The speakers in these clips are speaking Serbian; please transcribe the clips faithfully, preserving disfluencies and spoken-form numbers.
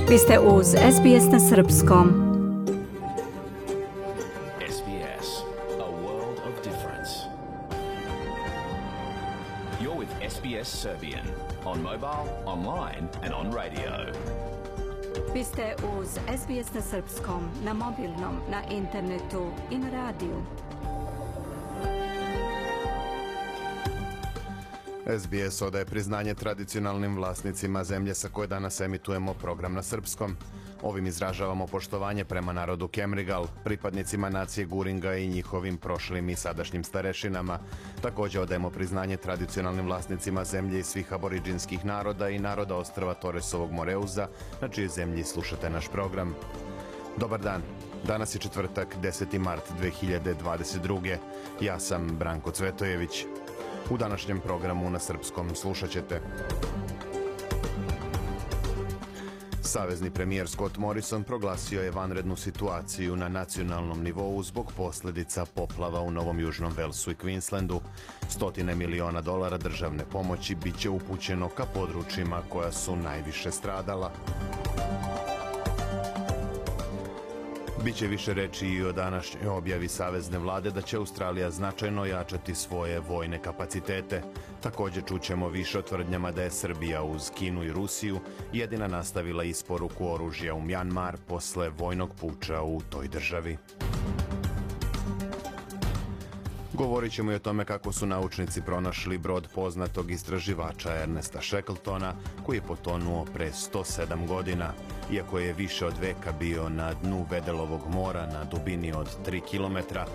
Vi ste uz S B S na srpskom. S B S, a world of difference. You're with S B S Serbian on mobile, online and on radio. Vi ste uz S B S na srpskom, na mobilnom, na internetu i na radiju. S B S odaje priznanje tradicionalnim vlasnicima zemlje sa koje danas emitujemo program na srpskom. Ovim izražavamo poštovanje prema narodu Kemrigal, pripadnicima nacije Guringa i njihovim prošlim i sadašnjim starešinama. Također odajemo priznanje tradicionalnim vlasnicima zemlje i svih aboriđinskih naroda i naroda ostrva Toresovog Moreuza, na čijoj zemlji slušate naš program. Dobar dan. Danas je četvrtak, deseti mart dve hiljade dvadeset druge. Ja sam Branko Cvetojević. U današnjem programu na srpskom slušat ćete: Savezni premijer Scott Morrison proglasio je vanrednu situaciju na nacionalnom nivou zbog posljedica poplava u Novom Južnom Velsu i Queenslandu. Stotine miliona dolara državne pomoći bit će upućeno ka područjima koja su najviše stradala. Biće više reći i o današnjoj objavi Savezne vlade da će Australija značajno jačati svoje vojne kapacitete. Također čućemo više o tvrdnjama da je Srbija uz Kinu i Rusiju jedina nastavila isporuku oružja u Mjanmar posle vojnog puča u toj državi. Govorit ćemo i o tome kako su naučnici pronašli brod poznatog istraživača Ernesta Shackletona, koji je potonuo pre sto sedam godina. Iako je više od veka bio na dnu Vedelovog mora na dubini od tri kilometra,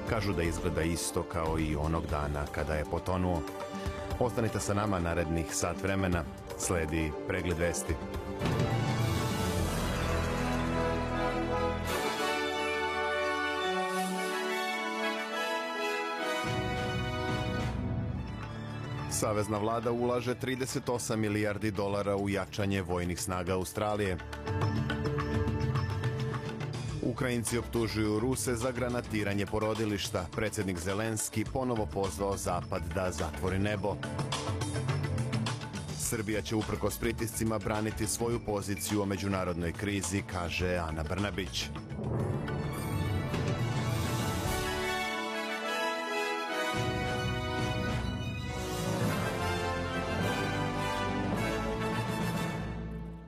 kažu da izgleda isto kao i onog dana kada je potonuo. Ostanite sa nama narednih sat vremena. Sledi pregled vesti. Savezna vlada ulaže trideset osam milijardi dolara u jačanje vojnih snaga Australije. Ukrajinci optužuju Ruse za granatiranje porodilišta. Predsjednik Zelenski ponovo pozvao Zapad da zatvori nebo. Srbija će uprkos pritiscima braniti svoju poziciju o međunarodnoj krizi, kaže Ana Brnabić.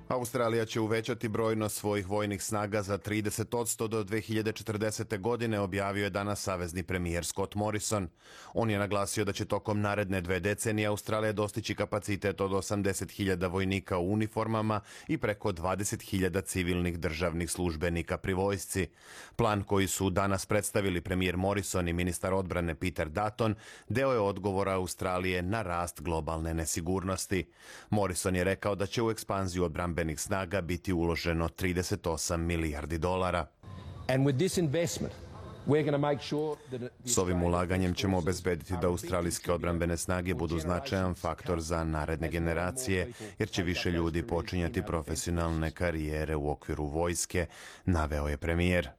Australija će uvećati brojnost svojih vojnih snaga za trideset posto do dve hiljade četrdesete. godine, objavio je danas savezni premijer Scott Morrison. On je naglasio da će tokom naredne dve decenije Australija dostići kapacitet od osamdeset hiljada vojnika u uniformama i preko dvadeset hiljada civilnih državnih službenika pri vojsci. Plan koji su danas predstavili premijer Morrison i ministar odbrane Peter Dutton deo je odgovora Australije na rast globalne nesigurnosti. Morrison je rekao da će u ekspanziju odbrambenih snaga biti uloženo trideset osam milijardi dolara. S ovim ulaganjem ćemo obezbediti da australijske odbrambene snage budu značajan faktor za naredne generacije, jer će više ljudi počinjati profesionalne karijere u okviru vojske, naveo je premijer.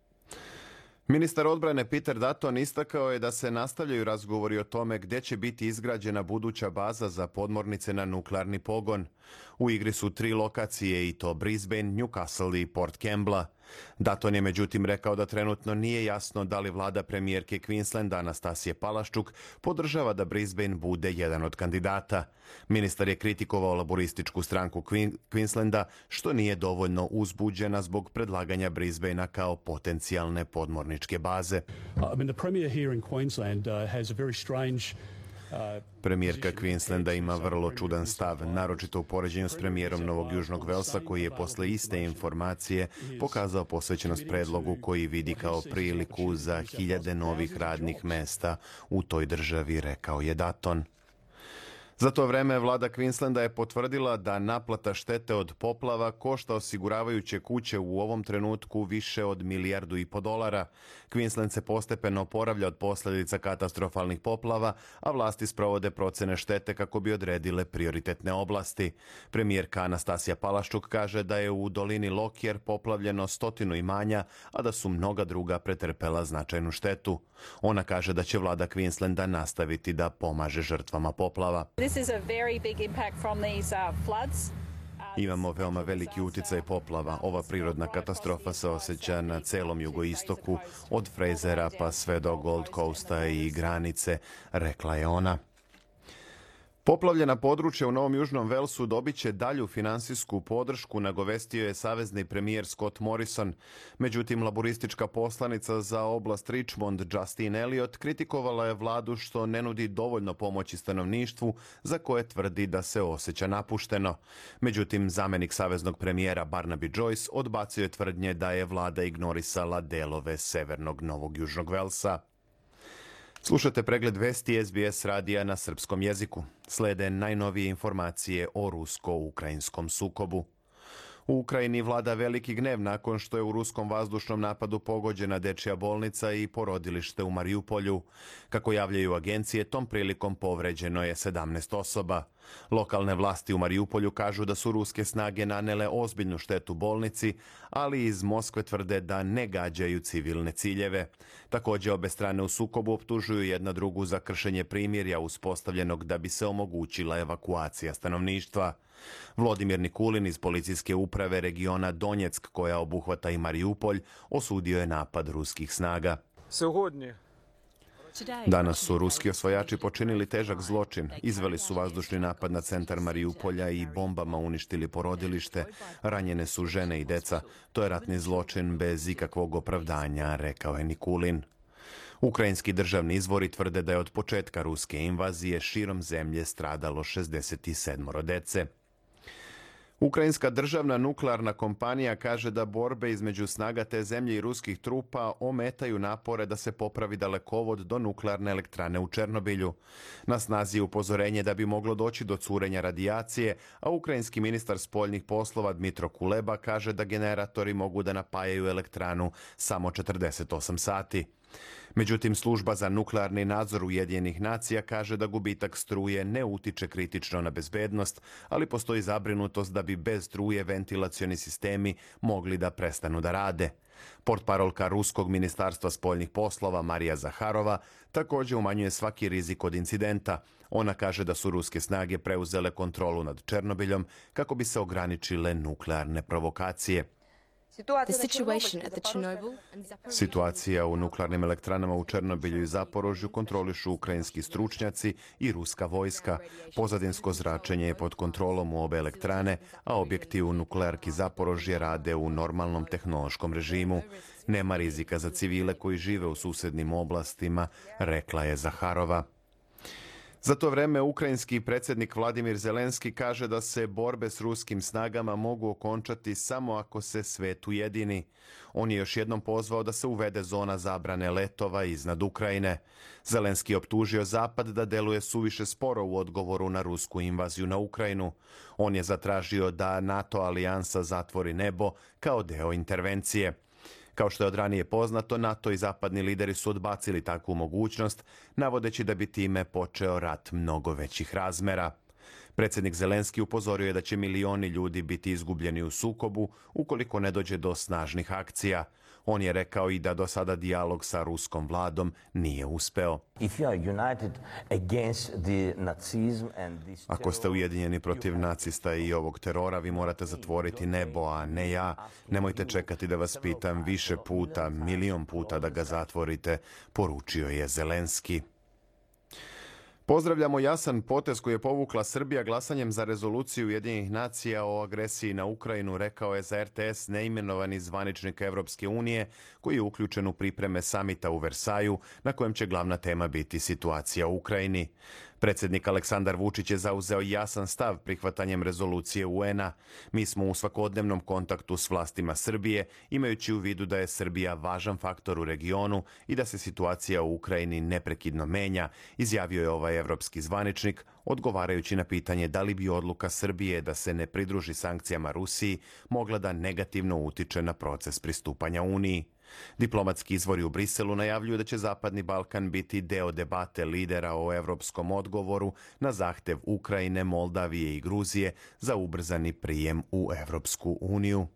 Ministar odbrane Peter Dutton istakao je da se nastavljaju razgovori o tome gdje će biti izgrađena buduća baza za podmornice na nuklearni pogon. U igri su tri lokacije, i to Brisbane, Newcastle i Port Kembla. Dutton je međutim rekao da trenutno nije jasno da li vlada premijerke Queenslanda Anastasije Palaščuk podržava da Brisbane bude jedan od kandidata. Ministar je kritikovao laborističku stranku Queenslanda, što nije dovoljno uzbuđena zbog predlaganja Brisbanea kao potencijalne podmorničke baze. Premijerka Queenslanda ima vrlo čudan stav, naročito u poređenju s premijerom Novog Južnog Velsa, koji je posle iste informacije pokazao posvećenost predlogu koji vidi kao priliku za hiljade novih radnih mesta u toj državi, rekao je Dutton. Za to vreme vlada Queenslanda je potvrdila da naplata štete od poplava košta osiguravajuće kuće u ovom trenutku više od milijardu i po dolara. Queensland se postepeno oporavlja od posljedica katastrofalnih poplava, a vlasti sprovode procene štete kako bi odredile prioritetne oblasti. Premijerka Anastasija Palaščuk kaže da je u dolini Lockyer poplavljeno stotinu imanja, a da su mnoga druga pretrpela značajnu štetu. Ona kaže da će vlada Queenslanda nastaviti da pomaže žrtvama poplava. This is a very big impact from these uh, floods. Imamo veoma veliki uticaj poplava. Ova prirodna katastrofa se osjeća na celom jugoistoku, od Frasera pa sve do Gold Coasta i granice, rekla je ona. Poplavljena područja u Novom Južnom Velsu dobit će dalju finansijsku podršku, nagovestio je savezni premijer Scott Morrison. Međutim, laboristička poslanica za oblast Richmond, Justine Elliott, kritikovala je vladu što ne nudi dovoljno pomoći stanovništvu za koje tvrdi da se osjeća napušteno. Međutim, zamenik saveznog premijera Barnaby Joyce odbacio je tvrdnje da je vlada ignorisala delove severnog Novog Južnog Velsa. Slušate pregled vesti S B S radija na srpskom jeziku. Slede najnovije informacije o rusko-ukrajinskom sukobu. U Ukrajini vlada veliki gnev nakon što je u ruskom vazdušnom napadu pogođena dečija bolnica i porodilište u Mariupolju. Kako javljaju agencije, tom prilikom povređeno je sedamnaest osoba. Lokalne vlasti u Mariupolju kažu da su ruske snage nanele ozbiljnu štetu bolnici, ali iz Moskve tvrde da ne gađaju civilne ciljeve. Također, obe strane u sukobu optužuju jedna drugu za kršenje primirja uspostavljenog da bi se omogućila evakuacija stanovništva. Vladimir Nikulin iz policijske uprave regiona Donjeck, koja obuhvata i Mariupolj, osudio je napad ruskih snaga. Danas su ruski osvajači počinili težak zločin. Izveli su vazdušni napad na centar Mariupolja i bombama uništili porodilište. Ranjene su žene i deca. To je ratni zločin bez ikakvog opravdanja, rekao je Nikulin. Ukrajinski državni izvori tvrde da je od početka ruske invazije širom zemlje stradalo šezdeset sedam dece. Ukrajinska državna nuklearna kompanija kaže da borbe između snaga te zemlje i ruskih trupa ometaju napore da se popravi dalekovod do nuklearne elektrane u Černobilju. Na snazi je upozorenje da bi moglo doći do curenja radijacije, a ukrajinski ministar spoljnih poslova Dmitro Kuleba kaže da generatori mogu da napajaju elektranu samo četrdeset osam sati. Međutim, služba za nuklearni nadzor Ujedinjenih nacija kaže da gubitak struje ne utiče kritično na bezbednost, ali postoji zabrinutost da bi bez struje ventilacioni sistemi mogli da prestanu da rade. Portparolka Ruskog ministarstva spoljnih poslova Marija Zaharova također umanjuje svaki rizik od incidenta. Ona kaže da su ruske snage preuzele kontrolu nad Černobiljom kako bi se ograničile nuklearne provokacije. Situacija u nuklearnim elektranama u Černobilju i Zaporožju kontrolišu ukrajinski stručnjaci i ruska vojska. Pozadinsko zračenje je pod kontrolom u obe elektrane, a objekti u nuklearki Zaporožje rade u normalnom tehnološkom režimu. Nema rizika za civile koji žive u susednim oblastima, rekla je Zaharova. Za to vreme ukrajinski predsjednik Vladimir Zelenski kaže da se borbe s ruskim snagama mogu okončati samo ako se svet ujedini. On je još jednom pozvao da se uvede zona zabrane letova iznad Ukrajine. Zelenski je optužio Zapad da deluje suviše sporo u odgovoru na rusku invaziju na Ukrajinu. On je zatražio da NATO alijansa zatvori nebo kao deo intervencije. Kao što je od ranije poznato, NATO i zapadni lideri su odbacili takvu mogućnost, navodeći da bi time počeo rat mnogo većih razmera. Predsjednik Zelenski upozorio je da će milioni ljudi biti izgubljeni u sukobu ukoliko ne dođe do snažnih akcija. On je rekao i da do sada dijalog sa ruskom vladom nije uspeo. Ako ste ujedinjeni protiv nacista i ovog terora, vi morate zatvoriti nebo, a ne ja. Nemojte čekati da vas pitam više puta, milion puta da ga zatvorite, poručio je Zelenski. Pozdravljamo jasan potez koji je povukla Srbija glasanjem za rezoluciju Ujedinjenih nacija o agresiji na Ukrajinu, rekao je za R T S neimenovani zvaničnik Evropske unije koji je uključen u pripreme samita u Versaju na kojem će glavna tema biti situacija u Ukrajini. Predsjednik Aleksandar Vučić je zauzeo jasan stav prihvatanjem rezolucije U N-a. Mi smo u svakodnevnom kontaktu s vlastima Srbije, imajući u vidu da je Srbija važan faktor u regionu i da se situacija u Ukrajini neprekidno menja, izjavio je ovaj evropski zvaničnik, odgovarajući na pitanje da li bi odluka Srbije da se ne pridruži sankcijama Rusiji mogla da negativno utiče na proces pristupanja Uniji. Diplomatski izvori u Briselu najavljuju da će Zapadni Balkan biti deo debate lidera o evropskom odgovoru na zahtev Ukrajine, Moldavije i Gruzije za ubrzani prijem u Evropsku uniju.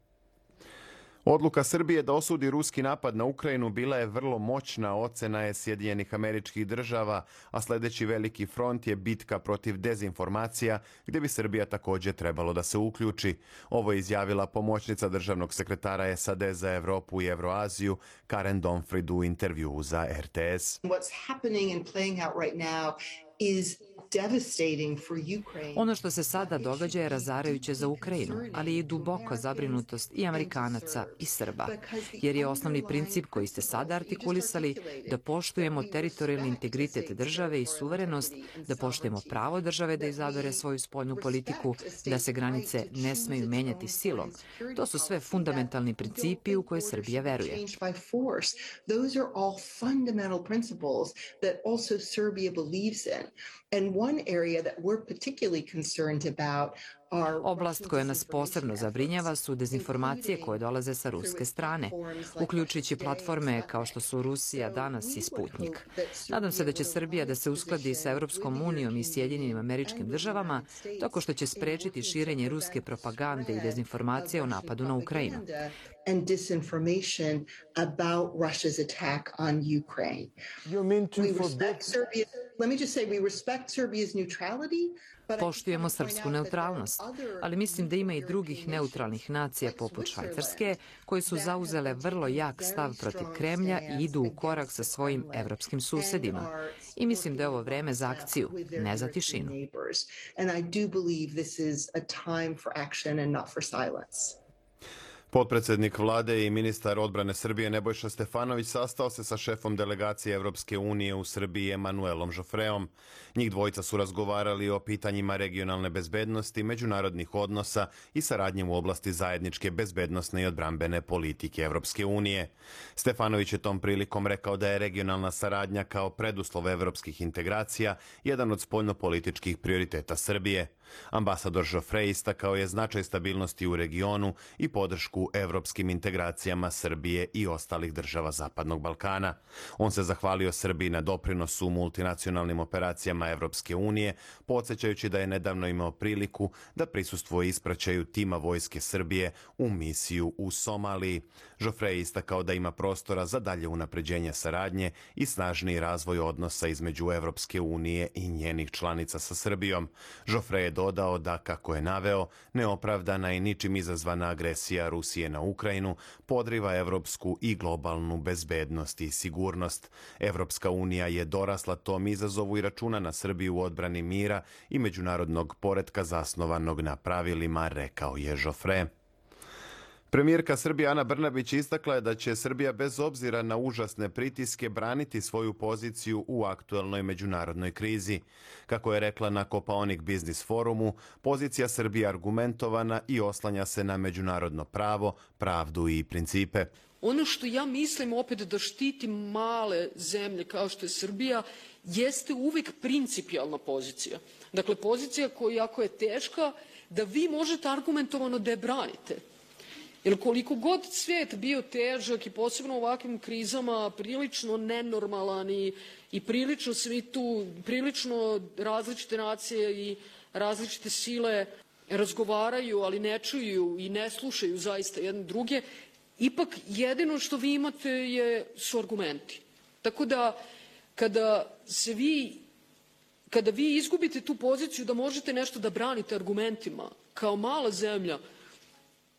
Odluka Srbije da osudi ruski napad na Ukrajinu bila je vrlo moćna, ocena je Sjedinjenih Američkih Država, a sljedeći veliki front je bitka protiv dezinformacija, gdje bi Srbija također trebalo da se uključi. Ovo je izjavila pomoćnica državnog sekretara S A D za Evropu i Evroaziju Karen Donfrid u intervjuu za R T S. What's happening and playing out right now is Ono što se sada događa je razarajuće za Ukrajinu, ali i duboka zabrinutost i Amerikanaca i Srba, jer je osnovni princip koji ste sada artikulisali da poštujemo teritorijalni integritet države i suverenost, da poštujemo pravo države da izabere svoju spoljnu politiku, da se granice ne smeju menjati silom. To su sve fundamentalni principi u koje Srbija veruje. Those are all fundamental principles that also Serbia believes in. And one area that we're particularly concerned about. Oblast koja nas posebno zabrinjava su dezinformacije koje dolaze sa ruske strane, uključujući platforme kao što su Rusija danas i Sputnik. Nadam se da će Srbija da se uskladi sa Evropskom unijom i Sjedinjenim Američkim Državama, tako što će sprečiti širenje ruske propagande i dezinformacije o napadu na Ukrajinu. And disinformation about Russia's attack on Ukraine. We respect Serbia. Let me just say we respect Serbia's neutrality. Poštujemo srpsku neutralnost, ali mislim da ima i drugih neutralnih nacija poput Švajcarske koje su zauzele vrlo jak stav protiv Kremlja i idu u korak sa svojim evropskim susedima. I mislim da je ovo vreme za akciju, ne za tišinu. Potpredsjednik vlade i ministar odbrane Srbije Nebojša Stefanović sastao se sa šefom delegacije Evropske unije u Srbiji Emanuelom Žofreom. Njih dvojica su razgovarali o pitanjima regionalne bezbednosti, međunarodnih odnosa i saradnje u oblasti zajedničke bezbednosne i odbrambene politike Evropske unije. Stefanović je tom prilikom rekao da je regionalna saradnja kao preduslov evropskih integracija jedan od spoljnopolitičkih prioriteta Srbije. Ambasador Žofre istakao je značaj stabilnosti u regionu i podršku evropskim integracijama Srbije i ostalih država Zapadnog Balkana. On se zahvalio Srbiji na doprinosu u multinacionalnim operacijama Evropske unije, podsjećajući da je nedavno imao priliku da prisustvuje ispraćaju tima Vojske Srbije u misiju u Somaliji. Žofre je istakao da ima prostora za dalje unapređenje saradnje i snažniji razvoj odnosa između Evropske unije i njenih članica sa Srbijom. Žofre je dodao da, kako je naveo, neopravdana i ničim izazvana agresija Rusije na Ukrajinu podriva evropsku i globalnu bezbednost i sigurnost. Evropska unija je dorasla tom izazovu i računa na Srbiju u odbrani mira i međunarodnog poretka zasnovanog na pravilima, rekao je Žofre. Premijerka Srbije Ana Brnabić istakla je da će Srbija bez obzira na užasne pritiske braniti svoju poziciju u aktuelnoj međunarodnoj krizi. Kako je rekla na Kopaonik Biznis forumu, pozicija Srbije argumentovana i oslanja se na međunarodno pravo, pravdu i principe. Ono što ja mislim opet da štiti male zemlje kao što je Srbija jeste uvijek principijalna pozicija. Dakle, pozicija koja ako je teška da vi možete argumentovano da je branite. Jer koliko god svijet bio težak i posebno u ovakvim krizama prilično nenormalan i, i prilično svi tu, prilično različite nacije i različite sile razgovaraju, ali ne čuju i ne slušaju zaista jedne druge, ipak jedino što vi imate je, su argumenti. Tako da kada se vi, kada vi izgubite tu poziciju da možete nešto da branite argumentima kao mala zemlja,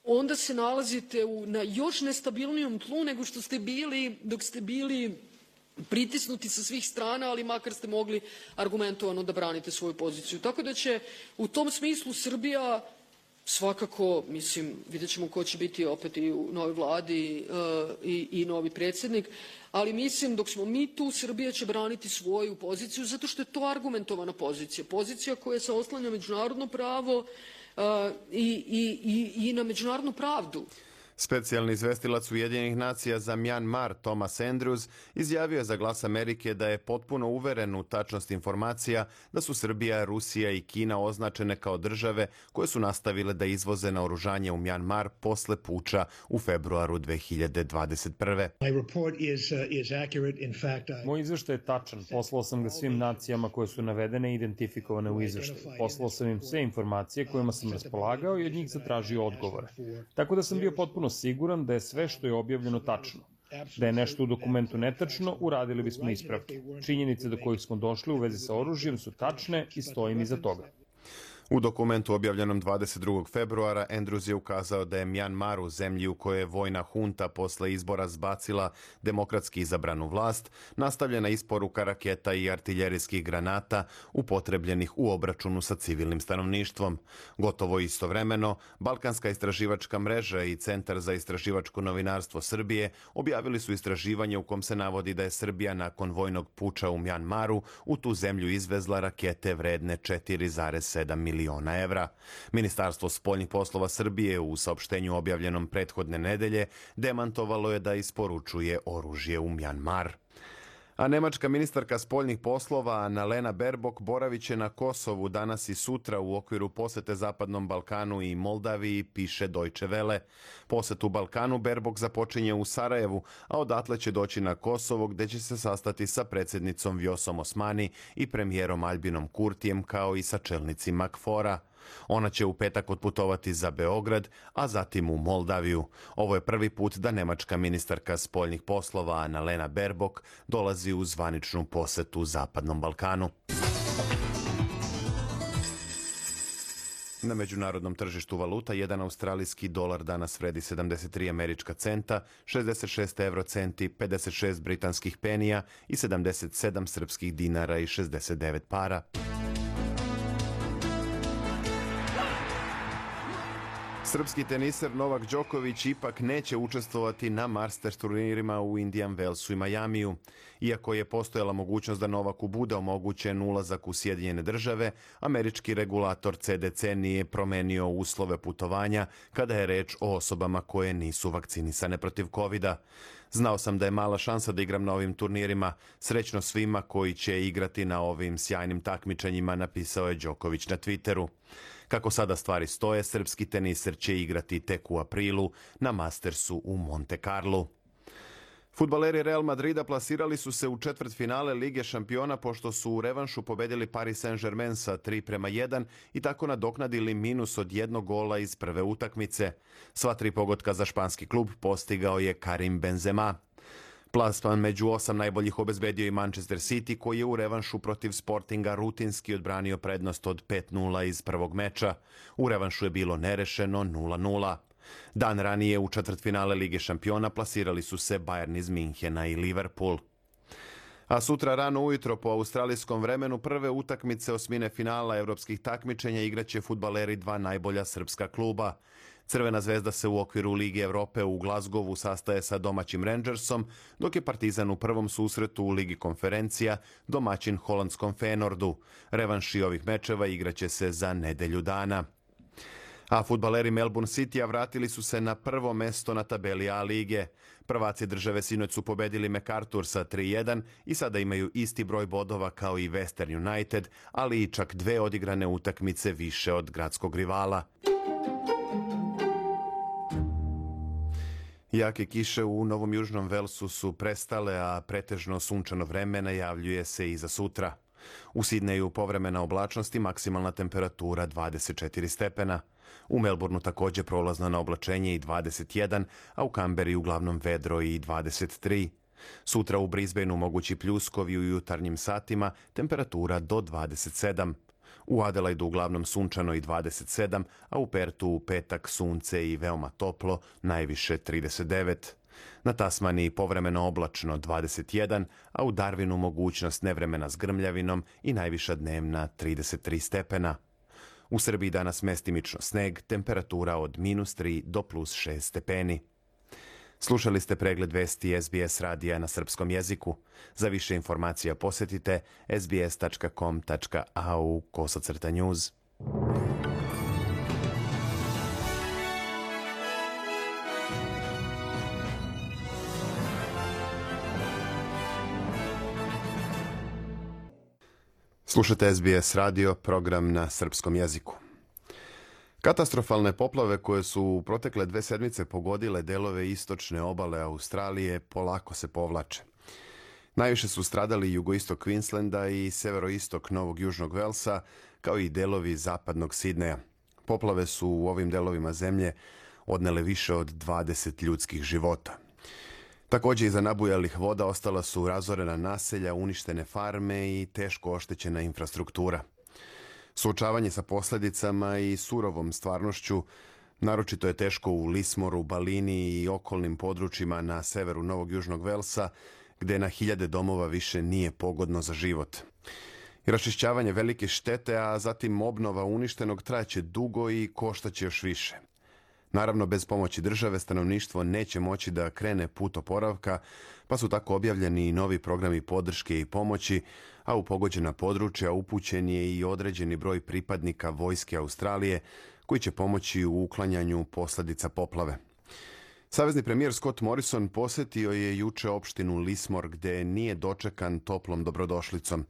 onda se nalazite u, na još nestabilnijom tlu nego što ste bili dok ste bili pritisnuti sa svih strana, ali makar ste mogli argumentovano da branite svoju poziciju. Tako da će u tom smislu Srbija svakako, mislim, vidjet ćemo ko će biti opet i u novoj vladi uh, i, i novi predsjednik, ali mislim dok smo mi tu, Srbija će braniti svoju poziciju zato što je to argumentovana pozicija. Pozicija koja se oslanja međunarodno pravo, Uh, i, i, i na međunarodnu pravdu. Specijalni izvestilac Ujedinjenih nacija za Mjanmar Thomas Andrews izjavio je za Glas Amerike da je potpuno uveren u tačnost informacija da su Srbija, Rusija i Kina označene kao države koje su nastavile da izvoze naoružanje u Mjanmar posle puča u februaru dve hiljade dvadeset prve. Moj izveštaj je tačan. Poslao sam ga svim nacijama koje su navedene i identifikovane u izveštaju. Poslao sam im sve informacije kojima sam raspolagao i od njih zatražio odgovore. Tako da sam bio potpuno potpuno siguran da je sve što je objavljeno tačno. Da je nešto u dokumentu netačno, uradili bismo ispravke. Činjenice do kojih smo došli u vezi sa oružjem su tačne i stojim iza toga. U dokumentu objavljenom dvadeset drugog februara Andrews je ukazao da je Mjanmar, u zemlji u kojoj je vojna hunta posle izbora zbacila demokratski izabranu vlast, nastavljena isporuka raketa i artiljerijskih granata upotrebljenih u obračunu sa civilnim stanovništvom. Gotovo istovremeno, Balkanska istraživačka mreža i Centar za istraživačko novinarstvo Srbije objavili su istraživanje u kom se navodi da je Srbija nakon vojnog puča u Mjanmaru u tu zemlju izvezla rakete vredne četiri zarez sedam miliona evra. Ministarstvo spoljnih poslova Srbije u saopštenju objavljenom prethodne nedelje demantovalo je da isporučuje oružje u Mjanmar. A nemačka ministarka spoljnih poslova Annalena Baerbock boraviće na Kosovu danas i sutra u okviru posete Zapadnom Balkanu i Moldaviji, piše Deutsche Welle. Posetu Balkanu Baerbock započinje u Sarajevu, a odatle će doći na Kosovo gde će se sastati sa predsjednicom Vjosom Osmani i premijerom Albinom Kurtijem kao i sa čelnicima KFOR-a. Ona će u petak otputovati za Beograd, a zatim u Moldaviju. Ovo je prvi put da nemačka ministarka spoljnih poslova Annalena Baerbock dolazi u zvaničnu posetu Zapadnom Balkanu. Na međunarodnom tržištu valuta jedan australijski dolar danas vredi sedamdeset tri američka centa, šezdeset šest evrocenti, pedeset šest britanskih penija i sedamdeset sedam srpskih dinara i šezdeset devet para. Srpski teniser Novak Đoković ipak neće učestvovati na Masters turnirima u Indian Wellsu i Majamiju. Iako je postojala mogućnost da Novaku bude omogućen ulazak u Sjedinjene države, američki regulator C D C nije promenio uslove putovanja kada je reč o osobama koje nisu vakcinisane protiv kovida. Znao sam da je mala šansa da igram na ovim turnirima. Srećno svima koji će igrati na ovim sjajnim takmičenjima, napisao je Đoković na Twitteru. Kako sada stvari stoje, srpski teniser će igrati tek u aprilu na Mastersu u Monte Carlu. Fudbaleri Real Madrida plasirali su se u četvrtfinale Lige šampiona pošto su u revanšu pobedili Paris Saint-Germain sa tri prema jedan i tako nadoknadili minus od jednog gola iz prve utakmice. Sva tri pogotka za španski klub postigao je Karim Benzema. Plasman među osam najboljih obezbedio i Manchester City, koji je u revanšu protiv Sportinga rutinski odbranio prednost od pet nula iz prvog meča. U revanšu je bilo nerešeno nula nula. Dan ranije u četvrtfinale Lige šampiona plasirali su se Bayern iz Minhena i Liverpool. A sutra rano ujutro po australijskom vremenu prve utakmice osmine finala evropskih takmičenja igraće fudbaleri dva najbolja srpska kluba. Crvena zvezda se u okviru Lige Evrope u Glazgovu sastaje sa domaćim Rangersom, dok je Partizan u prvom susretu u Ligi konferencija domaćin holandskom Feyenoordu. Revanši ovih mečeva igraće se za nedelju dana. A fudbaleri Melbourne Citya vratili su se na prvo mesto na tabeli A lige. Prvaci države sinoć su pobedili MacArthur sa tri jedan i sada imaju isti broj bodova kao i Western United, ali i čak dve odigrane utakmice više od gradskog rivala. Jake kiše u Novom Južnom Velsu su prestale, a pretežno sunčano vreme najavljuje se i za sutra. U Sidneju povremena oblačnost i maksimalna temperatura dvadeset četiri stepena. U Melbourneu također prolazno na oblačenje i dvadeset jedan, a u Kamberi uglavnom vedro i dvadeset tri. Sutra u Brisbaneu mogući pljuskovi u jutarnjim satima, temperatura do dvadeset sedam. U Adelaidu uglavnom sunčano i dvadeset sedam, a u Pertu u petak sunce i veoma toplo, najviše trideset devet. Na Tasmaniji povremeno oblačno dvadeset jedan, a u Darwinu mogućnost nevremena s grmljavinom i najviša dnevna trideset tri stepena. U Srbiji danas mestimično sneg, temperatura od minus tri do plus šest stepeni. Slušali ste pregled vesti S B S radija na srpskom jeziku. Za više informacija posjetite s b s tačka com tačka a u kosacrta news. Slušate S B S radio, program na srpskom jeziku. Katastrofalne poplave koje su u protekle dve sedmice pogodile delove istočne obale Australije polako se povlače. Najviše su stradali jugoistok Queenslanda i severoistok Novog Južnog Velsa, kao i delovi zapadnog Sidneja. Poplave su u ovim delovima zemlje odnele više od dvadeset ljudskih života. Također iza nabujalih voda ostala su razorena naselja, uništene farme i teško oštećena infrastruktura. Suočavanje sa posljedicama i surovom stvarnošću naročito je teško u Lismoru, Balini i okolnim područjima na severu Novog Južnog Velsa, gdje na hiljade domova više nije pogodno za život. I raščišćavanje velike štete, a zatim obnova uništenog trajaće dugo i koštaće još više. Naravno, bez pomoći države stanovništvo neće moći da krene put oporavka, pa su tako objavljeni i novi programi podrške i pomoći, a u pogođena područja upućen je i određeni broj pripadnika vojske Australije koji će pomoći u uklanjanju posljedica poplave. Savezni premijer Scott Morrison posjetio je juče opštinu Lismore gdje nije dočekan toplom dobrodošlicom.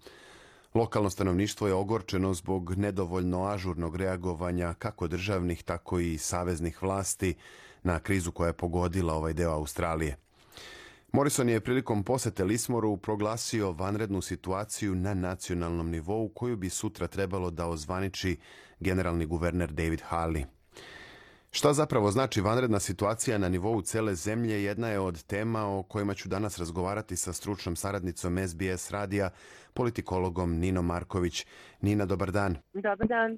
Lokalno stanovništvo je ogorčeno zbog nedovoljno ažurnog reagovanja kako državnih, tako i saveznih vlasti na krizu koja je pogodila ovaj deo Australije. Morrison je prilikom posete Lismoru proglasio vanrednu situaciju na nacionalnom nivou koju bi sutra trebalo da ozvaniči generalni guverner David Harley. Šta zapravo znači vanredna situacija na nivou cele zemlje jedna je od tema o kojima ću danas razgovarati sa stručnom saradnicom S B S radija, politikologom Ninom Marković. Nina, dobar dan. Dobar dan.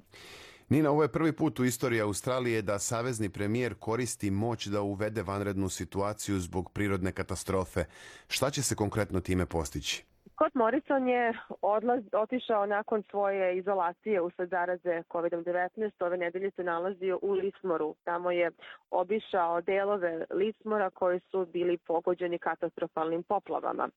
Nina, ovo je prvi put u istoriji Australije da savezni premijer koristi moć da uvede vanrednu situaciju zbog prirodne katastrofe. Šta će se konkretno time postići? Scott Morrison je odlaz, otišao nakon svoje izolacije usled zaraze kovid devetnaest. Ove nedelje se nalazio u Lismoru. Tamo je obišao delove Lismora koji su bili pogođeni katastrofalnim poplavama.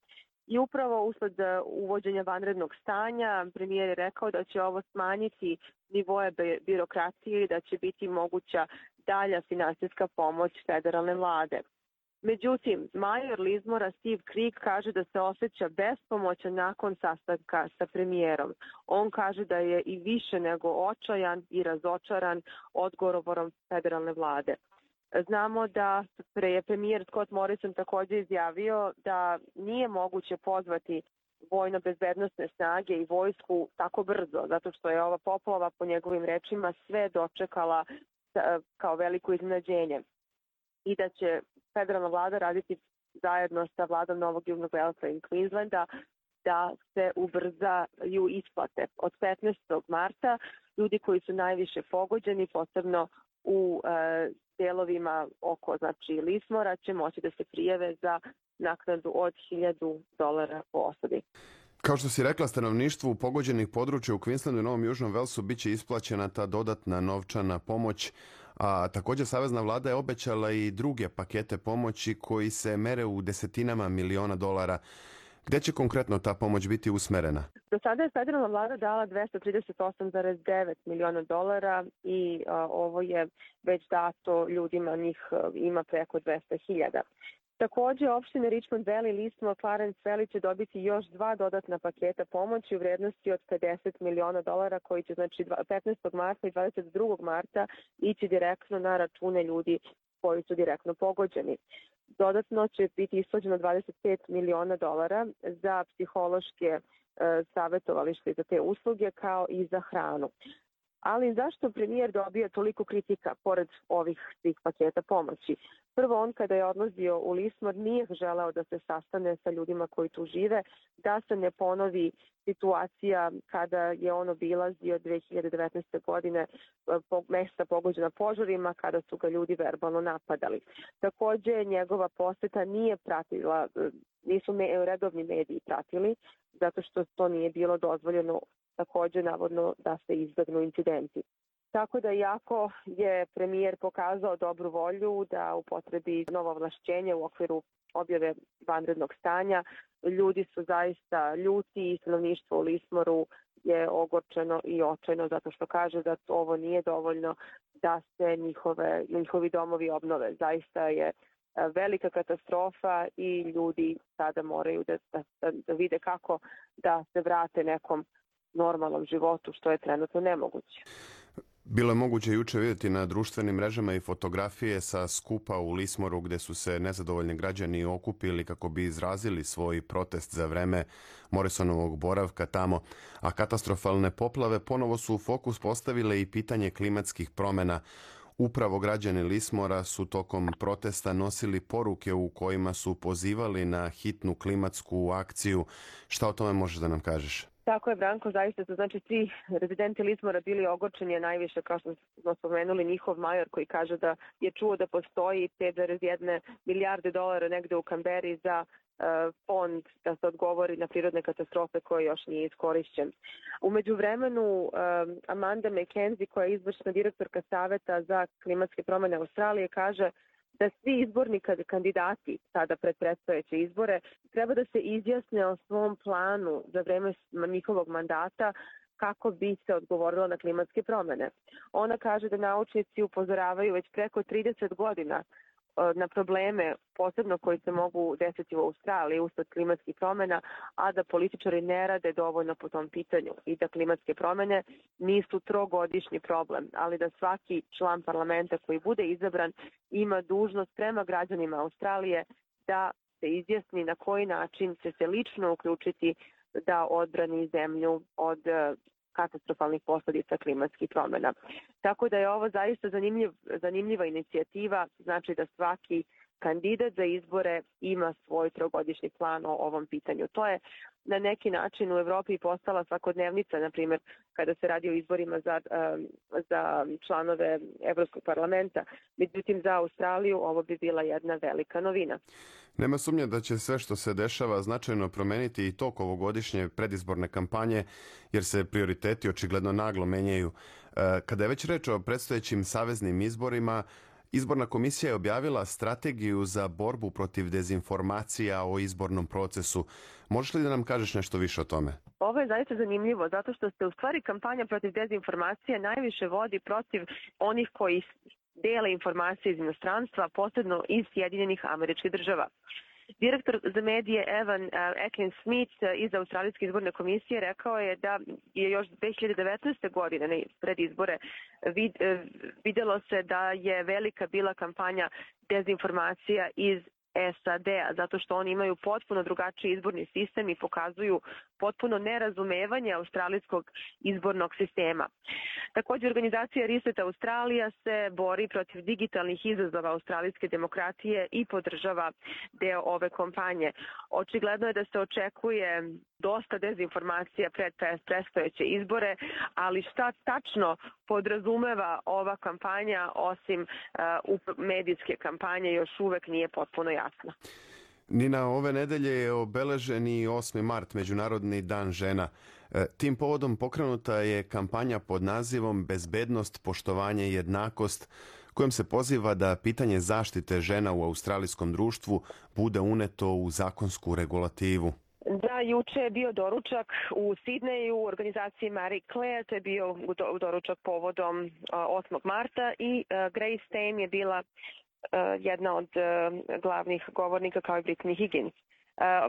I upravo usled uvođenja vanrednog stanja premijer je rekao da će ovo smanjiti nivoe birokratije i da će biti moguća dalja finansijska pomoć federalne vlade. Međutim, major Lismora Steve Creek kaže da se osjeća bespomoćan nakon sastanka sa premijerom. On kaže da je i više nego očajan i razočaran odgovorom federalne vlade. Znamo da je premijer Scott Morrison također izjavio da nije moguće pozvati vojno-bezbednosne snage i vojsku tako brzo, zato što je ova poplava, po njegovim rečima, sve dočekala kao veliko iznenađenje i da će federalna vlada raditi zajedno sa vladom Novog Južnog Velsa i Queenslanda da se ubrzaju isplate. Od petnaestog marta ljudi koji su najviše pogođeni, posebno u e, delovima oko znači, Lismora, će moći da se prijave za naknadu od hiljadu dolara po osobi. Kao što si rekla, stanovništvu pogođenih područja u Queenslandu i Novom Južnom Velsu bit će isplaćena ta dodatna novčana pomoć, a također savezna vlada je obećala i druge pakete pomoći koji se mere u desetinama miliona dolara. Gdje će konkretno ta pomoć biti usmerena? Do sada je federalna vlada dala dvesta trideset osam zarez devet miliona dolara i a, ovo je već dato ljudima, njih a, ima preko dvesta hiljada. Također, opštine Richmond Valley, Lismore, Clarence Valley će dobiti još dva dodatna paketa pomoći u vrednosti od pedeset miliona dolara koji će znači petnaestog marta i dvadeset drugog marta ići direktno na račune ljudi koji su direktno pogođeni. Dodatno će biti isplaćeno dvadeset pet miliona dolara za psihološke e, savjetovalište za te usluge kao i za hranu. Ali zašto premijer dobija toliko kritika pored ovih svih paketa pomoći? Prvo, on kada je odlazio u Lismore nije želeo da se sastane sa ljudima koji tu žive, da se ne ponovi situacija kada je on obilazio dve hiljade devetnaeste. godine mesta pogođena požarima, kada su ga ljudi verbalno napadali. Također, njegova poseta nije pratila, nisu me, redovni mediji pratili, zato što to nije bilo dozvoljeno također navodno da se izbjegnu incidenti. Tako da iako je premijer pokazao dobru volju da upotrebi novo ovlašćenje u okviru objave vanrednog stanja, ljudi su zaista ljuti i stanovništvo u Lismoru je ogorčeno i očajno zato što kaže da ovo nije dovoljno da se njihove, njihovi domovi obnove. Zaista je velika katastrofa i ljudi sada moraju da, da, da vide kako da se vrate nekom normalnom životu, što je trenutno nemoguće. Bilo je moguće juče vidjeti na društvenim mrežama i fotografije sa skupa u Lismoru gdje su se nezadovoljni građani okupili kako bi izrazili svoj protest za vreme Morrisonovog boravka tamo, a katastrofalne poplave ponovo su u fokus postavile i pitanje klimatskih promjena. Upravo građani Lismora su tokom protesta nosili poruke u kojima su pozivali na hitnu klimatsku akciju. Šta o tome možeš da nam kažeš? Tako je, Branko, zaista su znači svi rezidenti Lismora bili ogorčeni, a najviše, kao što smo spomenuli, njihov major koji kaže da je čuo da postoji pet zarez jedna milijarde dolara negde u Kamberi za fond da se odgovori na prirodne katastrofe koje još nije iskorišćen. U međuvremenu Amanda McKenzie, koja je izvršna direktorka Saveta za klimatske promene Australije, kaže da svi izborni kandidati sada pred predstojeće izbore treba da se izjasne o svom planu za vreme njihovog mandata kako bi se odgovorilo na klimatske promene. Ona kaže da naučnici upozoravaju već preko trideset godina na probleme, posebno koji se mogu desiti u Australiji usled klimatskih promjena, a da političari ne rade dovoljno po tom pitanju i da klimatske promjene nisu trogodišnji problem, ali da svaki član parlamenta koji bude izabran ima dužnost prema građanima Australije da se izjasni na koji način će se lično uključiti da odbrani zemlju od katastrofalnih posljedica klimatskih promjena. Tako da je ovo zaista zanimljiv, zanimljiva inicijativa, znači da svaki kandidat za izbore ima svoj trogodišnji plan o ovom pitanju. To je na neki način u Evropi postala svakodnevnica, na primjer, kada se radi o izborima za, za članove Evropskog parlamenta. Međutim, za Australiju ovo bi bila jedna velika novina. Nema sumnje da će sve što se dešava značajno promeniti i tok ovogodišnje predizborne kampanje, jer se prioriteti očigledno naglo menjaju. Kada je već reč o predstojećim saveznim izborima, Izborna komisija je objavila strategiju za borbu protiv dezinformacija o izbornom procesu. Možeš li da nam kažeš nešto više o tome? Ovo je zaista zanimljivo, zato što se u stvari kampanja protiv dezinformacija najviše vodi protiv onih koji dele informacije iz inostranstva, posebno iz Sjedinjenih Američkih Država. Direktor za medije Evan Atkins Smith iz Australijske izborne komisije rekao je da je još dve hiljade devetnaeste. godine pred izbore vid, vidjelo se da je velika bila kampanja dezinformacija iz S A D-a, zato što oni imaju potpuno drugačiji izborni sistem i pokazuju potpuno nerazumevanje australijskog izbornog sistema. Također, organizacija Reset Australija se bori protiv digitalnih izazova australijske demokratije i podržava deo ove kampanje. Očigledno je da se očekuje dosta dezinformacija pred predstojeće izbore, ali šta tačno podrazumeva ova kampanja osim uh, medijske kampanje još uvek nije potpuno jasno. Nina, ove nedelje je obeležen i osmi mart, Međunarodni dan žena. Tim povodom pokrenuta je kampanja pod nazivom Bezbednost, poštovanje i jednakost, kojom se poziva da pitanje zaštite žena u australijskom društvu bude uneto u zakonsku regulativu. Da, juče je bio doručak u Sidneju u organizaciji Marie Claire, to je bio doručak povodom osmog marta i Grace Tame je bila jedna od glavnih govornika kao i Brittany Higgins.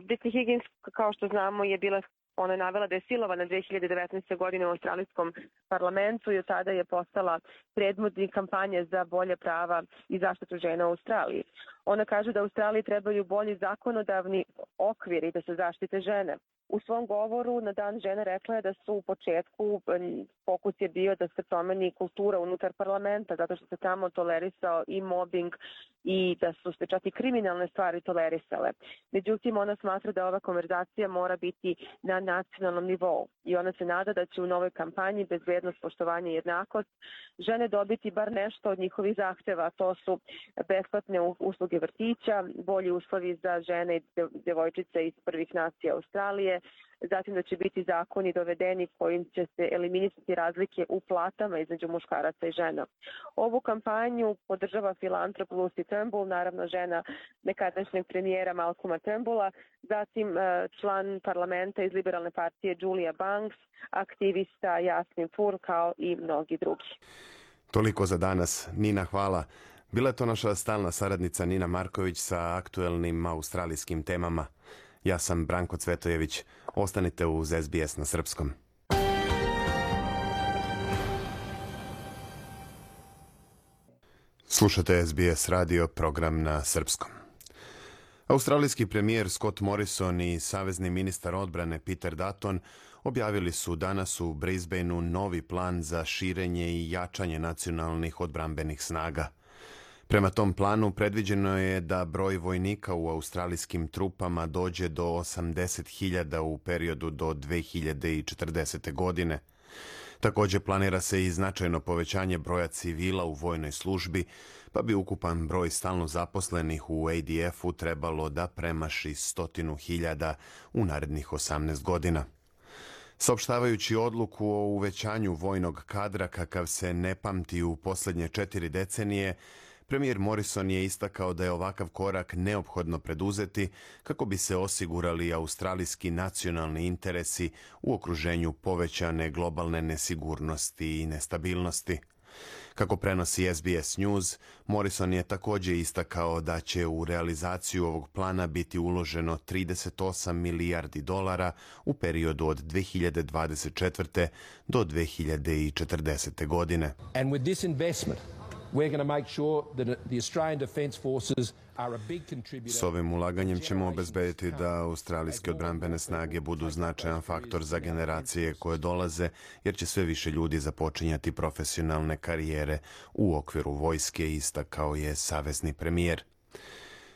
Brittany Higgins, kao što znamo, je bila Ona je navela da je silovana dve hiljade devetnaeste. godine u australijskom parlamentu i od tada je postala predvodnik kampanje za bolje prava i zaštitu žena u Australiji. Ona kaže da Australiji trebaju bolji zakonodavni okvir i da se zaštite žene. U svom govoru na dan žene rekla je da su u početku fokus je bio da se promeni kultura unutar parlamenta, zato što se tamo tolerisao i mobbing i da su se čak i kriminalne stvari tolerisale. Međutim, ona smatra da ova konverzacija mora biti na nacionalnom nivou i ona se nada da će u novoj kampanji Bezbednost, poštovanje i jednakost žene dobiti bar nešto od njihovih zahteva. To su besplatne usluge vrtića, bolji uslovi za žene i devojčice iz prvih nacija Australije, zatim da će biti zakoni dovedeni kojim će se eliminisati razlike u platama između muškaraca i žena. Ovu kampanju podržava filantrop Lucy Turnbull, naravno žena nekadašnjeg premijera Malcolma Turnbulla, zatim član parlamenta iz liberalne partije Julia Banks, aktivista Jasmin Fur, kao i mnogi drugi. Toliko za danas. Nina, hvala. Bila je to naša stalna saradnica Nina Marković sa aktuelnim australijskim temama. Ja sam Branko Cvetojević. Ostanite uz S B S na srpskom. Slušate S B S radio, program na srpskom. Australijski premijer Scott Morrison i savezni ministar odbrane Peter Dutton objavili su danas u Brisbaneu novi plan za širenje i jačanje nacionalnih odbrambenih snaga. Prema tom planu predviđeno je da broj vojnika u australijskim trupama dođe do osamdeset hiljada u periodu do dve hiljade četrdesete. godine. Također planira se i značajno povećanje broja civila u vojnoj službi, pa bi ukupan broj stalno zaposlenih u A D F-u trebalo da premaši stotinu hiljada u narednih osamnaest godina. Saopštavajući odluku o uvećanju vojnog kadra kakav se ne pamti u posljednje četiri decenije, premijer Morrison je istakao da je ovakav korak neophodno preduzeti kako bi se osigurali australijski nacionalni interesi u okruženju povećane globalne nesigurnosti i nestabilnosti. Kako prenosi S B S News, Morrison je također istakao da će u realizaciju ovog plana biti uloženo trideset osam milijardi dolara u periodu od dve hiljade dvadeset četvrte. do dve hiljade četrdesete. godine. And with this investment, we're going to make sure that the Australian Defence Forces are a big contributor. S ovim ulaganjem ćemo obezbediti da australijske odbrambene snage budu značajan faktor za generacije koje dolaze, jer će sve više ljudi započinjati profesionalne karijere u okviru vojske, istakao je savezni premijer.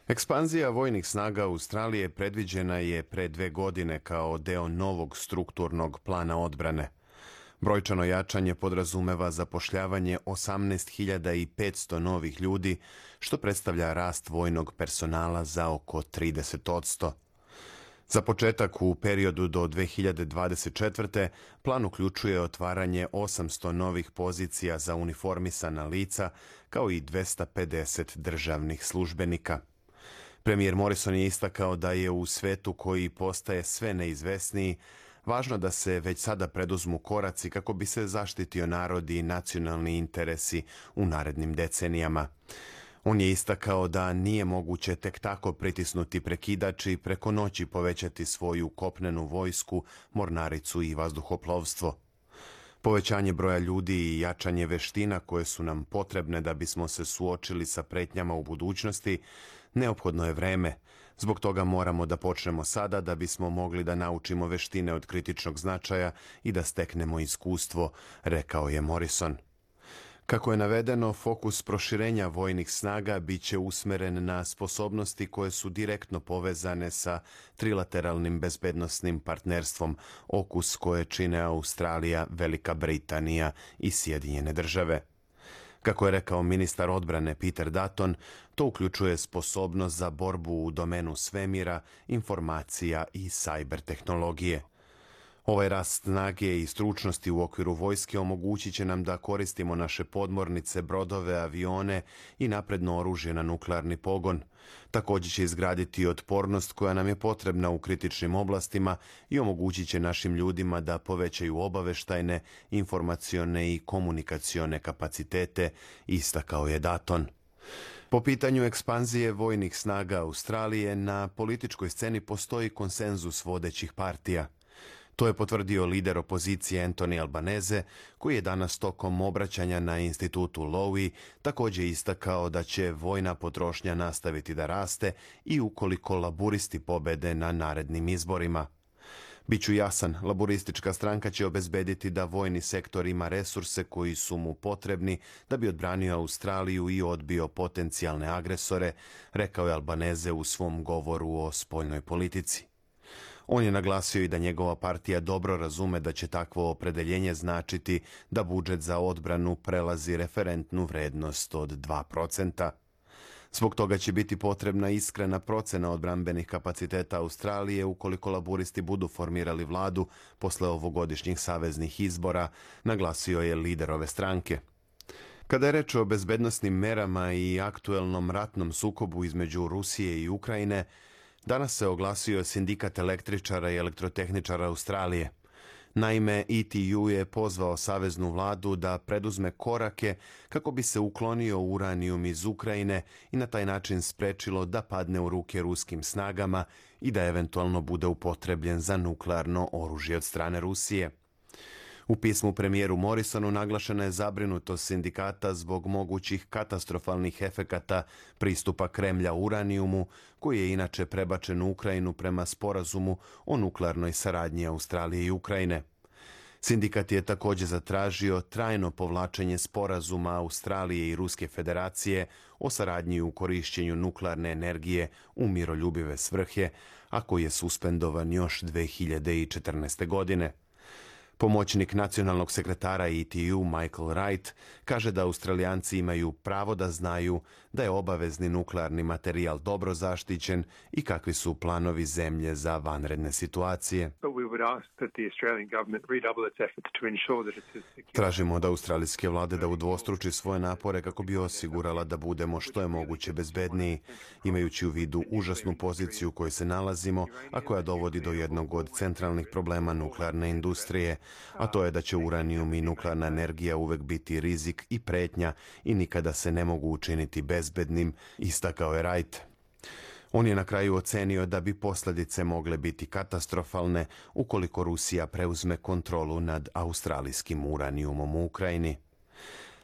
Ekspanzija vojnih snaga Australije predviđena je pre dve godine kao deo novog strukturnog plana odbrane. Brojčano jačanje podrazumeva zapošljavanje osamnaest hiljada petsto novih ljudi, što predstavlja rast vojnog personala za oko trideset posto. Za početak u periodu do dve hiljade dvadeset četvrte. plan uključuje otvaranje osamsto novih pozicija za uniformisana lica, kao i dvesta pedeset državnih službenika. Premijer Morrison je istakao da je u svetu koji postaje sve neizvesniji važno da se već sada preduzmu koraci kako bi se zaštitio narod i nacionalni interesi u narednim decenijama. On je istakao da nije moguće tek tako pritisnuti prekidač i preko noći povećati svoju kopnenu vojsku, mornaricu i vazduhoplovstvo. Povećanje broja ljudi i jačanje veština koje su nam potrebne da bismo se suočili sa pretnjama u budućnosti, neophodno je vreme. Zbog toga moramo da počnemo sada da bismo mogli da naučimo veštine od kritičnog značaja i da steknemo iskustvo, rekao je Morrison. Kako je navedeno, fokus proširenja vojnih snaga biće usmeren na sposobnosti koje su direktno povezane sa trilateralnim bezbednosnim partnerstvom O K U S koje čine Australija, Velika Britanija i Sjedinjene države. Kako je rekao ministar odbrane Peter Dutton, to uključuje sposobnost za borbu u domenu svemira, informacija i sajber tehnologije. Ovaj rast snage i stručnosti u okviru vojske omogućit će nam da koristimo naše podmornice, brodove, avione i napredno oružje na nuklearni pogon. Također će izgraditi otpornost koja nam je potrebna u kritičnim oblastima i omogućit će našim ljudima da povećaju obaveštajne, informacione i komunikacione kapacitete, istakao je Dutton. Po pitanju ekspanzije vojnih snaga Australije, na političkoj sceni postoji konsenzus vodećih partija. To je potvrdio lider opozicije Anthony Albanese, koji je danas tokom obraćanja na institutu Lowy također istakao da će vojna potrošnja nastaviti da raste i ukoliko laburisti pobede na narednim izborima. Biću jasan, laburistička stranka će obezbediti da vojni sektor ima resurse koji su mu potrebni da bi odbranio Australiju i odbio potencijalne agresore, rekao je Albanese u svom govoru o spoljnoj politici. On je naglasio i da njegova partija dobro razume da će takvo opredeljenje značiti da budžet za odbranu prelazi referentnu vrednost od dva procenta. Zbog toga će biti potrebna iskrena procena odbrambenih kapaciteta Australije ukoliko laburisti budu formirali vladu posle ovogodišnjih saveznih izbora, naglasio je lider ove stranke. Kada je reč o bezbednosnim merama i aktuelnom ratnom sukobu između Rusije i Ukrajine, danas se oglasio sindikat električara i elektrotehničara Australije. Naime, E T U je pozvao saveznu vladu da preduzme korake kako bi se uklonio uranijum iz Ukrajine i na taj način sprečilo da padne u ruke ruskim snagama i da eventualno bude upotrebljen za nuklearno oružje od strane Rusije. U pismu premijeru Morrisonu naglašena je zabrinutost sindikata zbog mogućih katastrofalnih efekata pristupa Kremlja uranijumu, koji je inače prebačen u Ukrajinu prema sporazumu o nuklearnoj saradnji Australije i Ukrajine. Sindikat je također zatražio trajno povlačenje sporazuma Australije i Ruske federacije o saradnji u korišćenju nuklearne energije u miroljubive svrhe, a koji je suspendovan još dve hiljade četrnaeste. godine. Pomoćnik nacionalnog sekretara E T U Michael Wright kaže da Australijanci imaju pravo da znaju da je obavezni nuklearni materijal dobro zaštićen i kakvi su planovi zemlje za vanredne situacije. Tražimo od australijske vlade da udvostruči svoje napore kako bi osigurala da budemo što je moguće bezbedniji, imajući u vidu užasnu poziciju u kojoj se nalazimo, a koja dovodi do jednog od centralnih problema nuklearne industrije, a to je da će uranijum i nuklearna energija uvek biti rizik i pretnja i nikada se ne mogu učiniti bezbednim, istakao je Wright. On je na kraju ocenio da bi posljedice mogle biti katastrofalne ukoliko Rusija preuzme kontrolu nad australijskim uranijumom u Ukrajini.